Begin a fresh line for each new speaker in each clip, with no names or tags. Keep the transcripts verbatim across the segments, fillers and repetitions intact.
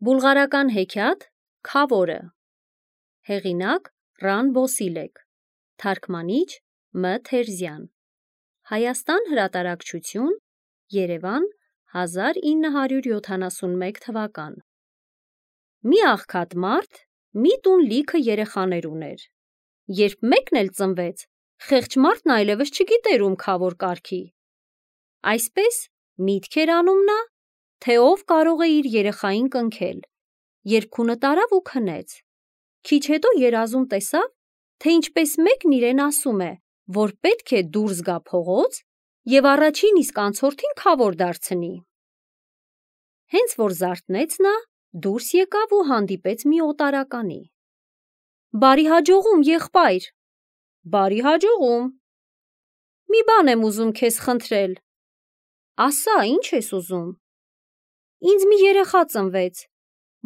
Բուլղարական հեքիաթ Քավորը Հեղինակ Ռան Բոսիլեկ Թարգմանիչ Մ. Թերզյան Հայաստան հրատարակչություն Երևան հազար ինը հարյուր յոթանասունմեկ թվական Մի աղքատ մարդ մի տուն լիքը երեխաներ ուներ Երբ մեկն էլ ծնվեց խեղճ մարդն այլևս չգիտեր ում քավոր կարգի Այսպես միտք էր անում նա թե ով կարող է իր երեխային կնքել Երբ քունը տարավ ու քնեց Քիչ հետո երազում տեսավ թե ինչպես մեկն իրեն ասում է որ պետք է դուրս գա փողոց և առաջին իսկ անցորդին քավոր դարձնի Հենց որ զարթնեց նա դուրս եկավ ու հանդիպեց մի օտարականի Բարի հաջողում եղբայր Բարի հաջողում Մի բան եմ ուզում քեզ խնդրել Ասա ինչ ես ուզում Ինձ մի երեխա ծնվեց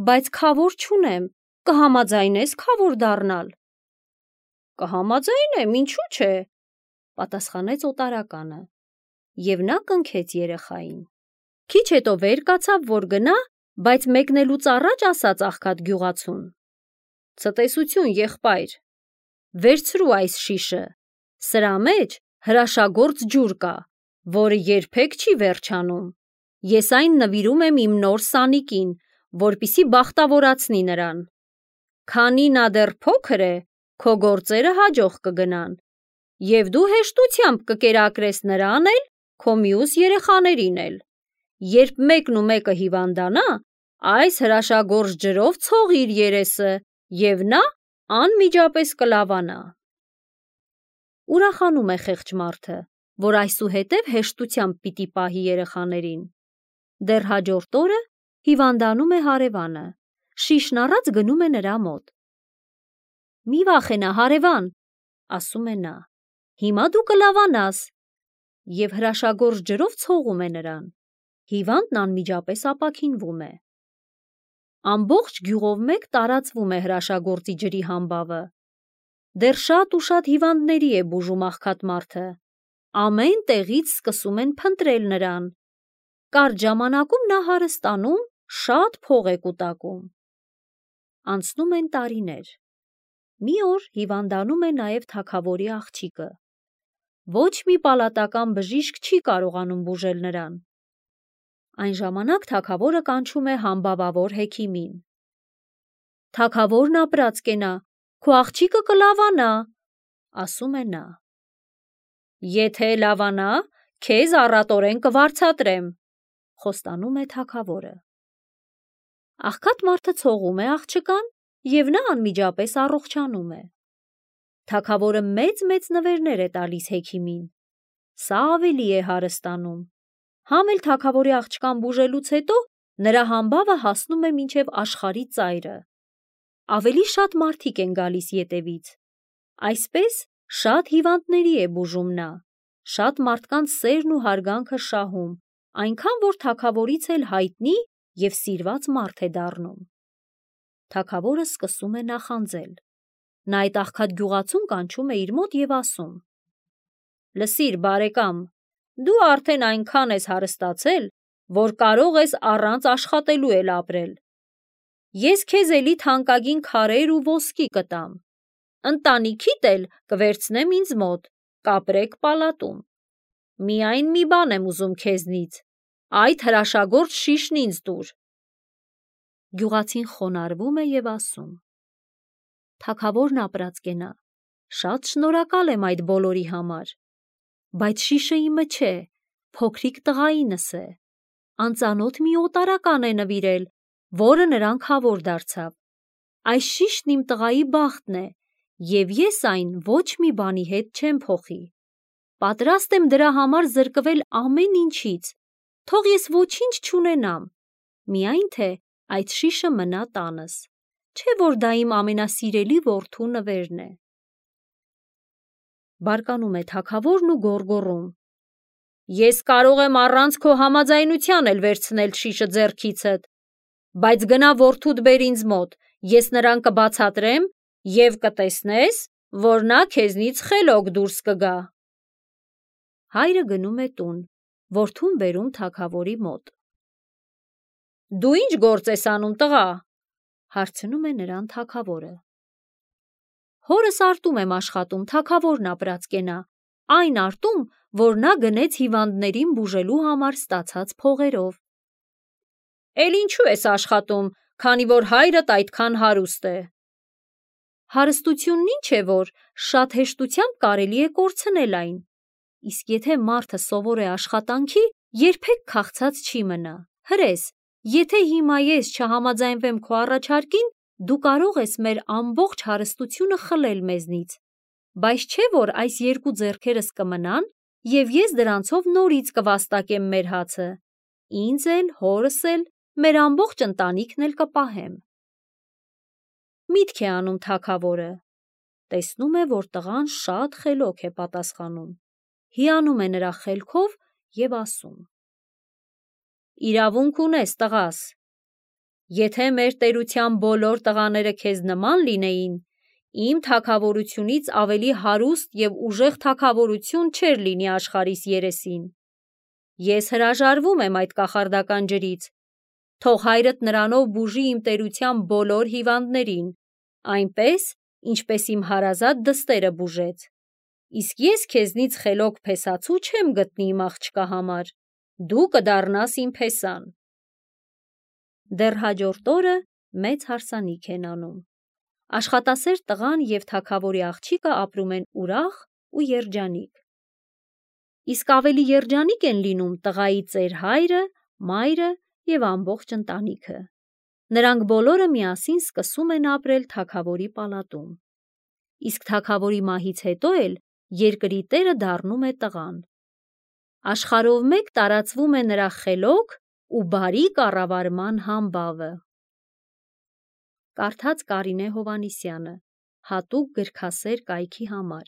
Բայց քավոր չունեմ կհամաձայնես քավոր դառնալ Կհամաձայնեմ ինչու՞ չէ պատասխանեց օտարականը և նա կնքեց երեխային Քիչ հետո վեր կացավ որ գնա բայց մեկնելուց առաջ ասաց աղքատ գյուղացուն Ցտեսություն եղբայր Վերցրու այս շիշը Սրա մեջ հրաշագործ ջուր կա որը երբեք չի վերջանում Ես այն նվիրում եմ իմ նոր սանիկին որպեսզի բախտավորացնի նրան Քանի նա դեռ փոքր է քո գործերը հաջող կգնան և դու հեշտությամբ կկերակրես նրան էլ քո մյուս երեխաներին էլ Երբ մեկն ու մեկը հիվանդանա այս հրաշագործ ջրով ցողիր երեսը և նա անմիջապես կլավանա Ուրախանում է խեղճ մարդը որ այսուհետև հեշտությամբ պիտի պահի երեխաներին Դեռ հաջորդ օրը հիվանդանում է հարևանը Շիշն առած գնում է նրա մոտ Մի վախենա հարևան ասում է նա Հիմա դու կլավանաս և հրաշագործ ջրով ցողում է նրան Հիվանդն անմիջապես ապաքինվում է Ամբողջ գյուղով մեկ տարածվում է հրաշագործի ջրի համբավը Դեռ շատ ու շատ հիվանդների է բուժում աղքատ մարդը Ամեն տեղից սկսում են փնտրել նրան Կարճ ժամանակում նա հարստանում Շատ փող է կուտակում Անցնում են տարիներ Մի օր հիվանդանում է նաև թագավորի աղջիկը Ոչ մի պալատական բժիշկ չի կարողանում բուժել նրան Այն ժամանակ թագավորը կանչում է համբավավոր հեքիմին Թագավորն ապրած կենա Քո աղջիկը կլավանա Ասում է նա Եթե լավանա քեզ առատորեն կվարձատրեմ Խոստանում է թագավորը Աղքատ մարդը ցողում է աղջկան և նա անմիջապես առողջանում է Թագավորը մեծ-մեծ նվերներ է տալիս հեքիմին Սա ավելի է հարստանում Համ էլ թագավորի աղջկան բուժելուց հետո նրա համբավը հասնում է մինչև աշխարհի ծայրը Ավելի շատ մարդիկ են գալիս ետևից Այսպես շատ հիվանդների է բուժում նա Շատ մարդկանց սերն ու հարգանքը շահում Այնքան որ թագավորից էլ հայտնի և սիրված մարդ է դառնում Թագավորը սկսում է նախանձել Նա այդ աղքատ գյուղացուն կանչում է իր մոտ և ասում Լսիր բարեկամ դու արդեն այնքան ես հարստացել որ կարող ես առանց աշխատելու էլ ապրել Ես քեզ էլի թանկագին քարեր ու ոսկի կտամ Ընտանիքիդ էլ կվերցնեմ ինձ մոտ կապրեք պալատում Միայն մի բան եմ ուզում քեզնից Այդ հրաշագործ շիշն ինձ տուր Գյուղացին խոնարհվում է և ասում Թագավորն ապրած կենա Շատ շնորհակալ եմ այդ բոլորի համար Բայց շիշը իմը չէ Փոքրիկ տղայինս է Անծանոթ մի օտարական է նվիրել Որը նրան քավոր դարձավ Այս շիշն իմ տղայի բախտն է Եվ ես այն ոչ մի բանի հետ չեմ փոխի Պատրաստ եմ դրա համար զրկվել ամեն ինչից Թող ես ոչինչ չունենամ Միայն թե այդ շիշը մնա տանս Չէ որ դա իմ ամենասիրելի որդու նվերն է Բարկանում է թագավորն ու գոռգոռում Ես կարող եմ առանց քո համաձայնության էլ վերցնել շիշը ձեռքիցդ Բայց գնա որդուդ բեր ինձ մոտ Ես նրան կբացատրեմ և կտեսնես որ նա քեզնից խելոք դուրս կգա Հայրը գնում է տուն Որդուն բերում թագավորի մոտ Դու ինչ գործ ես անում, տղա, հարցնում է նրան թագավորը։ Հորս արտում եմ աշխատում, թագավորն ապրած կենա, այն արտում, որ նա գնեց հիվանդներին բուժելու համար ստացած փողերով։ Էլ ինչու ես աշխատում, քանի որ հայրդ այդքան հարուստ է։ Հարստությունն ինչ է, որ շատ հեշտությամբ կարելի է կորցնել այն, իսկ եթե մարդը սովոր է աշխատանքի, երբեք քաղցած չի մնա։ Հրես, եթե հիմա ես չհամաձայնվեմ քո առաջարկին, դու կարող ես մեր ամբողջ հարստությունը խլել մեզնից, բայց չէ որ այս երկու ձեռքերս կմնան, և ես դրանցով նորից կվաստակեմ մեր հացը, ինձ էլ, հորս էլ, մեր ամբողջ ընտանիքն էլ կպահեմ։ Միտք է անում թագավորը, տեսնում է, որ տղան շատ խելոք է պատասխանում, հիանում է նրա խելքով և ասում. Իրավունք ունես, տղաս, եթե մեր տերության բոլոր տղաները քեզ նման լինեին, իմ թագավորությունից ավելի հարուստ և ուժեղ թագավորություն չէր լինի աշխարհիս երեսին։ Ես հրաժարվում եմ այդ կախարդական ջրից, թող հայրդ նրանով բուժի իմ տերության բոլոր հիվանդներին, այնպես, ինչպես իմ հարազատ դստերը բուժեց, իսկ ես քեզնից խելոք փեսացու չեմ գտնի իմ աղջկա համար, դու կդառնաս իմ փեսան։ Դեռ հաջորդ օրը մեծ հարսանիք են անում։ Աշխատասեր տղան և թագավորի աղջիկը ապրում են ուրախ ու երջանիկ։ Իսկ ավելի երջանիկ են լինում տղայի ծեր հայրը, մայրը և ամբողջ ընտանիքը։ Նրանք բոլորը միասին սկսում են ապրել թագավորի պալատում։ Իսկ թագավորի մահից հետո էլ երկրի տերը դառնում է տղան։ Աշխարհով մեկ տարածվում է նրա խելոք ու բարի կառավարման համբավը։ Կարդաց Կարինե Հովհաննիսյանը, հատուկ գրքասեր կայքի համար։